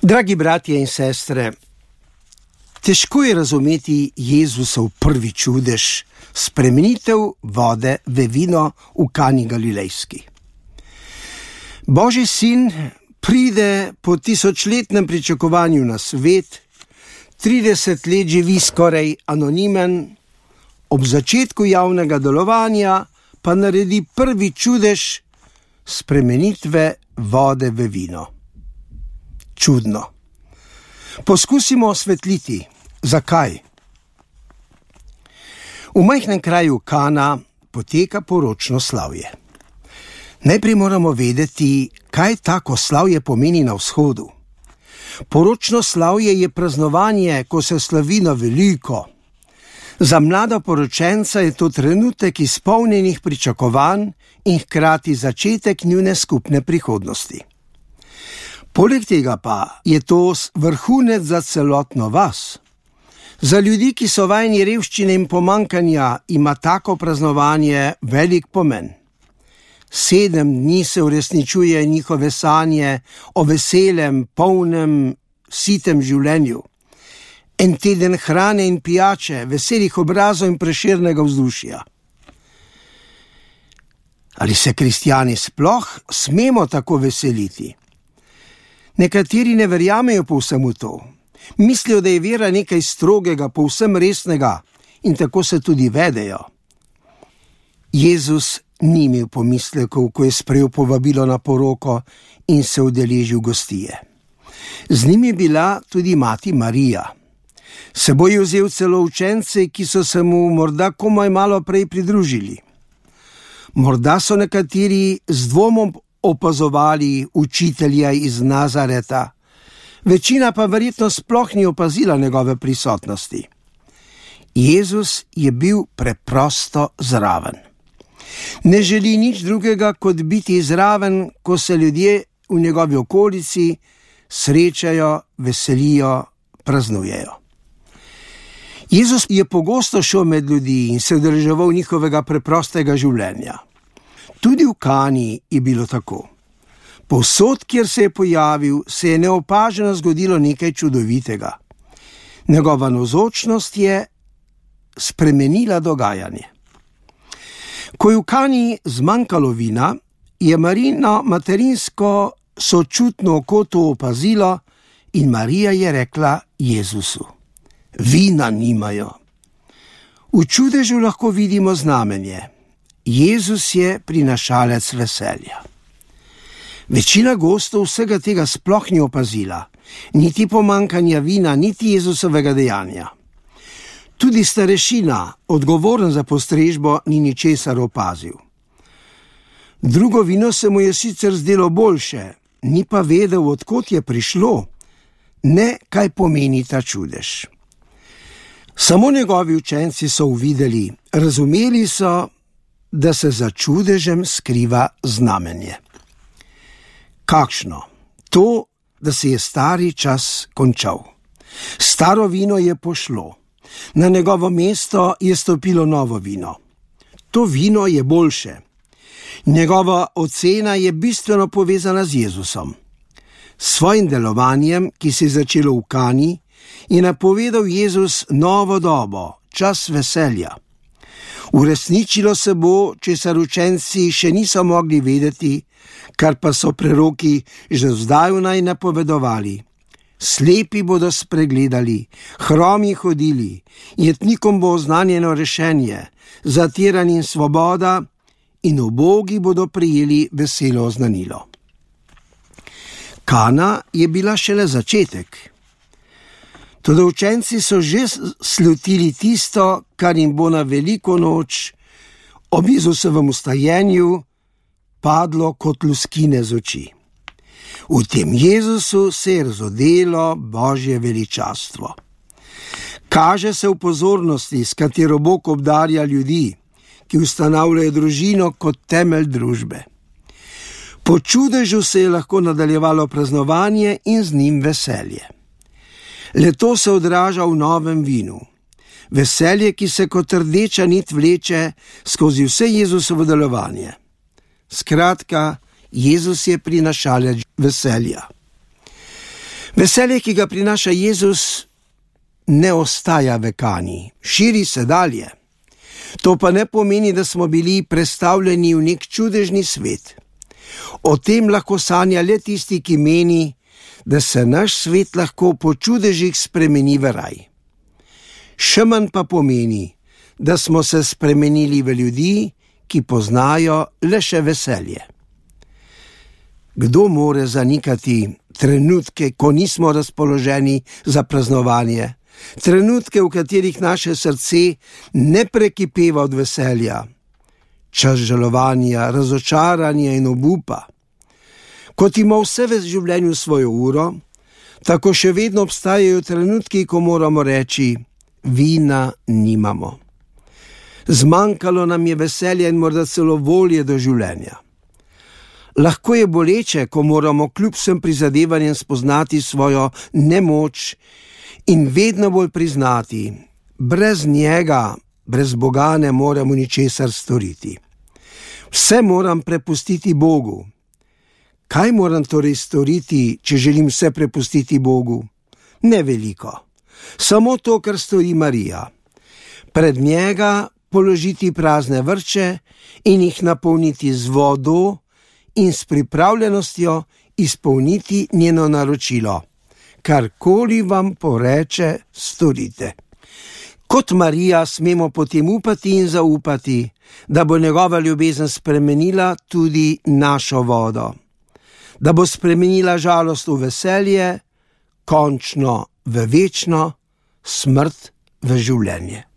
Dragi bratje in sestre, težko je razumeti Jezusov prvi čudež, spremenitev vode v vino v Kani Galilejski. Božji sin pride po tisočletnem pričakovanju na svet, 30 let živi skoraj anonimen, ob začetku javnega delovanja pa naredi prvi čudež spremenitve vode v vino. Čudno. Poskusimo osvetliti, zakaj. V majhnem kraju Kana poteka poročno slavje. Najprej moramo vedeti, kaj tako slavje pomeni na vzhodu. Poročno slavje je praznovanje, ko se slavi na veliko. Za mlada poročenca je to trenutek izpolnjenih pričakovanj in hkrati začetek njune skupne prihodnosti. Poleg tega pa je to vrhunec za celotno vas. Za ljudi, ki so vajeni revščine in pomanjkanja, ima tako praznovanje velik pomen. 7 dni se uresničuje njihove sanje o veselem, polnem, sitem življenju. En teden hrane in pijače, veselih obrazov in prešernega vzdušja. Ali se kristjani sploh smemo tako veseliti? Nekateri ne verjamejo povsem v to. Mislijo, da je vera nekaj strogega, povsem resnega in tako se tudi vedejo. Jezus ni imel pomislekov, ko je sprejel povabilo na poroko in se udeležil gostije. Z njim je bila tudi mati Marija. S seboj je vzel celo učence, ki so se mu morda komaj malo prej pridružili. Morda so nekateri z dvomom opazovali učitelja iz Nazareta, večina pa verjetno sploh ni opazila njegove prisotnosti. Jezus je bil preprosto zraven. Ne želi nič drugega, kot biti zraven, ko se ljudje v njegovi okolici srečajo, veselijo, praznujejo. Jezus je pogosto šel med ljudi in se udeleževal njihovega preprostega življenja. Tudi v Kani je bilo tako. Povsod, kjer se je pojavil, se je neopaženo zgodilo nekaj čudovitega. Njegova navzočnost je spremenila dogajanje. Ko je v Kani zmanjkalo vina, je Marijino materinsko sočutno oko to opazilo in Marija je rekla Jezusu: vina nimajo. V čudežu lahko vidimo znamenje. Jezus je prinašalec veselja. Večina gostov vsega tega sploh ni opazila, niti pomanjkanja vina, niti Jezusovega dejanja. Tudi starešina, odgovoren za postrežbo, ni ničesar opazil. Drugo vino se mu je sicer zdelo boljše, ni pa vedel, od kod je prišlo, ne kaj pomeni ta čudež. Samo njegovi učenci so uvideli, razumeli so, da se za čudežem skriva znamenje. Kakšno? To, da se je stari čas končal. Staro vino je pošlo. Na njegovo mesto je stopilo novo vino. To vino je boljše. Njegova ocena je bistveno povezana z Jezusom. S svojim delovanjem, ki se je začelo v Kani, je napovedal Jezus novo dobo, čas veselja. Uresničilo se bo, česar učenci še niso mogli vedeti, kar pa so preroki že zdavnaj napovedovali. Slepi bodo spregledali, hromi hodili, jetnikom bo oznanjeno rešenje, zatiranim svoboda in ubogi bodo prejeli veselo oznanilo. Kana je bila šele začetek. Toda učenci so že slutili tisto, kar jim bo na veliko noč ob Jezusovem vstajenju padlo kot luskine z oči. V tem Jezusu se je razodelo Božje veličastvo. Kaže se v pozornosti, s katero Bog obdarja ljudi, ki ustanavljajo družino kot temelj družbe. Po čudežu se je lahko nadaljevalo praznovanje in z njim veselje. Le to se odraža v novem vinu. Veselje, ki se kot rdeča nit vleče skozi vse Jezusovo delovanje. Skratka, Jezus je prinašalec veselja. Veselje, ki ga prinaša Jezus, ne ostaja vekani, širi se dalje. To pa ne pomeni, da smo bili prestavljeni v nek čudežni svet. O tem lahko sanja le tisti, ki meni, da se naš svet lahko po čudežih spremeni v raj. Še manj pa pomeni, da smo se spremenili v ljudi, ki poznajo le še veselje. Kdo more zanikati trenutke, ko nismo razpoloženi za praznovanje, trenutke, v katerih naše srce ne prekipeva od veselja, čas žalovanja, razočaranja in obupa? Kot ima vse v življenju svojo uro, tako še vedno obstajajo trenutki, ko moramo reči: vina nimamo. Zmanjkalo nam je veselja in morda celo volje do življenja. Lahko je boleče, ko moramo kljub vsem prizadevanjem spoznati svojo nemoč in vedno bolj priznati: brez njega, brez Boga ne moremo ničesar storiti. Vse moram prepustiti Bogu. Kaj moram torej storiti, če želim vse prepustiti Bogu? Ne veliko. Samo to, kar stori Marija. Pred njega položiti prazne vrče in jih napolniti z vodo in s pripravljenostjo izpolniti njeno naročilo. Karkoli vam poreče, storite. Kot Marija smemo potem upati in zaupati, da bo njegova ljubezen spremenila tudi našo vodo. Da bo spremenila žalost v veselje, končno v večno, smrt v življenje.